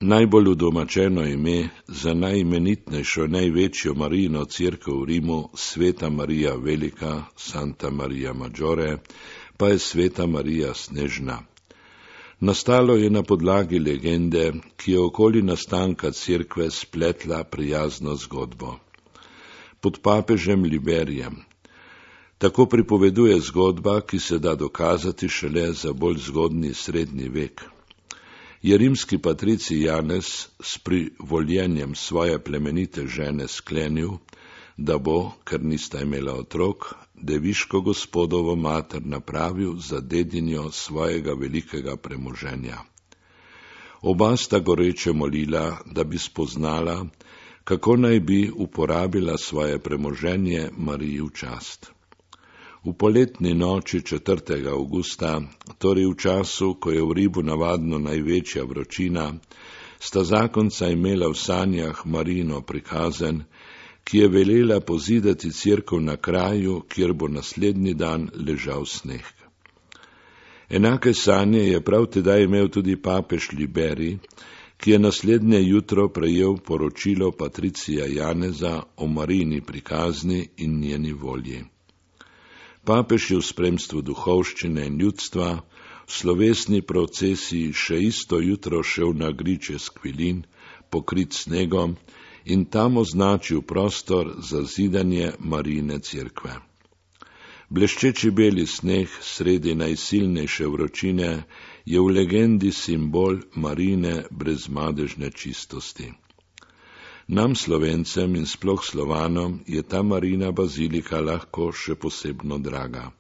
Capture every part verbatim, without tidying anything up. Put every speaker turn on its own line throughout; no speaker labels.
Najbolj udomačeno ime za najimenitnejšo, največjo Marijino cerkev v Rimu, Sveta Marija Velika, Santa Maria Maggiore, pa je Sveta Marija Snežna. Nastalo je na podlagi legende, ki je okoli nastanka cerkve spletla prijazno zgodbo. Pod papežem Liberijem. Tako pripoveduje zgodba, ki se da dokazati šele za bolj zgodnji srednji vek. Je rimski patricij Janez s privoljenjem svoje plemenite žene sklenil, da bo, ker nista imela otrok, deviško gospodovo mater napravil za dedinjo svojega velikega premoženja. Oba sta goreče molila, da bi spoznala, kako naj bi uporabila svoje premoženje Mariji v čast. V poletni noči četrtega avgusta, torej v času, ko je v Rimu navadno največja vročina, sta zakonca imela v sanjah Marijino prikazen, ki je velela pozidati cerkev na kraju, kjer bo naslednji dan ležal sneg. Enake sanje je prav tedaj imel tudi papež Liberij, ki je naslednje jutro prejel poročilo patricija Janeza o Marijini prikazni in njeni volji. Papež je v spremstvu duhovščine in ljudstva v slovesni procesiji še isto jutro šel na griče Skvilin, pokrit snegom, in tam označil prostor za zidanje Marijine cerkve. Bleščeči beli sneg sredi najsilnejše vročine je v legendi simbol Marijine brezmadežne čistosti. Nam Slovencem in sploh Slovanom je ta Marijina bazilika lahko še posebno draga,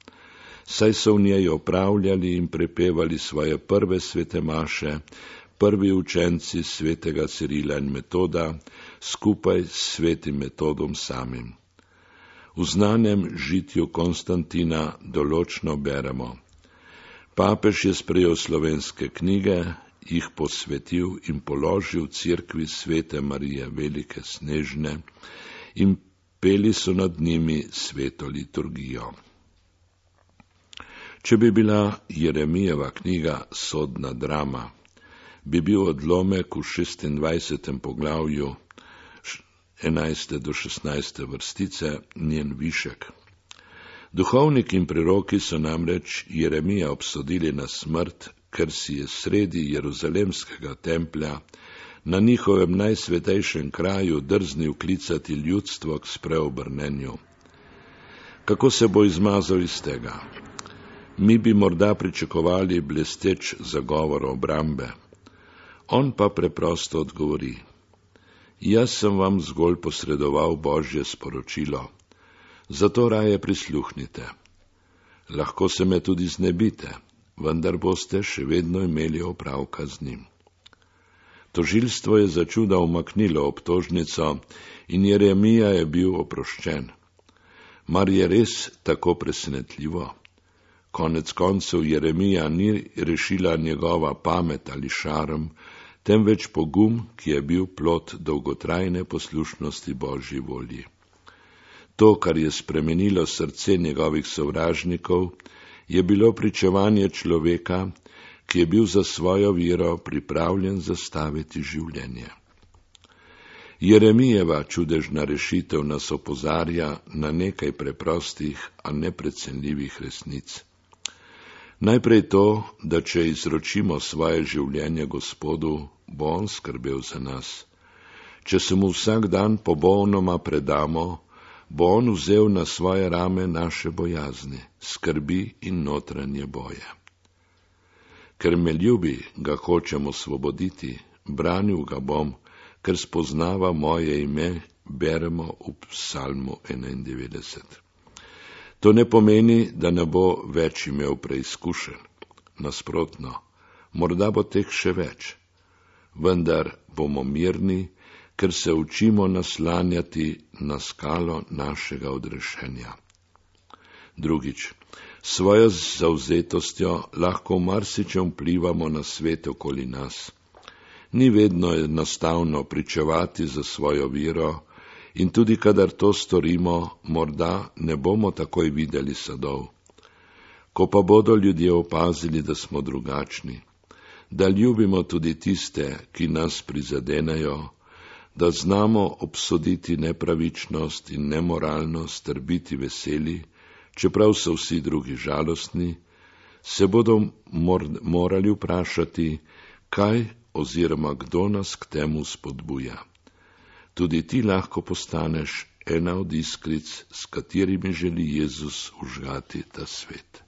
saj so v njej opravljali in prepevali svoje prve svete maše, prvi učenci svetega Cirila in Metoda, skupaj s svetim Metodom samim. V znanem žitju Konstantina določno beremo: papež je sprejel slovenske knjige, jih posvetil in položil cerkvi Svete Marije Velike Snežne in peli so nad njimi sveto liturgijo. Če bi bila Jeremijeva knjiga sodna drama, bi bil odlomek v šestindvajsetem poglavju enajste do šestnajste vrstice njen višek. Duhovniki in preroki so namreč Jeremija obsodili na smrt, ker si je sredi jeruzalemskega templja na njihovem najsvetejšem kraju drznil klicati ljudstvo k spreobrnenju. Kako se bo izmazal iz tega? Mi bi morda pričakovali blesteč zagovor obrambe. On pa preprosto odgovori: jaz sem vam zgolj posredoval Božje sporočilo, zato raje prisluhnite. Lahko se me tudi znebite, vendar boste še vedno imeli opravka z njim. Tožilstvo je začuda umaknilo obtožnico in Jeremija je bil oproščen. Mar je res tako presenetljivo? Konec koncev Jeremija ni rešila njegova pamet ali šarm, temveč pogum, ki je bil plod dolgotrajne poslušnosti Božji volji. To, kar je spremenilo srce njegovih sovražnikov, je bilo pričevanje človeka, ki je bil za svojo vero pripravljen zastaviti življenje. Jeremijeva čudežna rešitev nas opozarja na nekaj preprostih, a neprecenljivih resnic. Najprej to, da če izročimo svoje življenje Gospodu, bo on skrbel za nas. Če se mu vsak dan popolnoma predamo, bo on vzel na svoje rame naše bojazni, skrbi in notranje boje. Ker me ljubi, ga hočem osvoboditi, branil ga bom, ker spoznava moje ime, beremo v psalmu enaindevetdeset. To ne pomeni, da ne bo več imel preizkušenj. Nasprotno, morda bo teh še več, vendar bomo mirni, ker se učimo naslanjati na skalo našega odrešenja. Drugič, svojo zavzetostjo lahko v marsičem vplivamo na svet okoli nas. Ni vedno enostavno pričevati za svojo vero in tudi kadar to storimo, morda ne bomo takoj videli sadov. Ko pa bodo ljudje opazili, da smo drugačni, da ljubimo tudi tiste, ki nas prizadenejo, da znamo obsoditi nepravičnost in nemoralnost ter biti veseli, čeprav so vsi drugi žalostni, se bodo mor morali vprašati, kaj oziroma kdo nas k temu spodbuja. Tudi ti lahko postaneš ena od iskric, s katerimi želi Jezus užgati ta svet.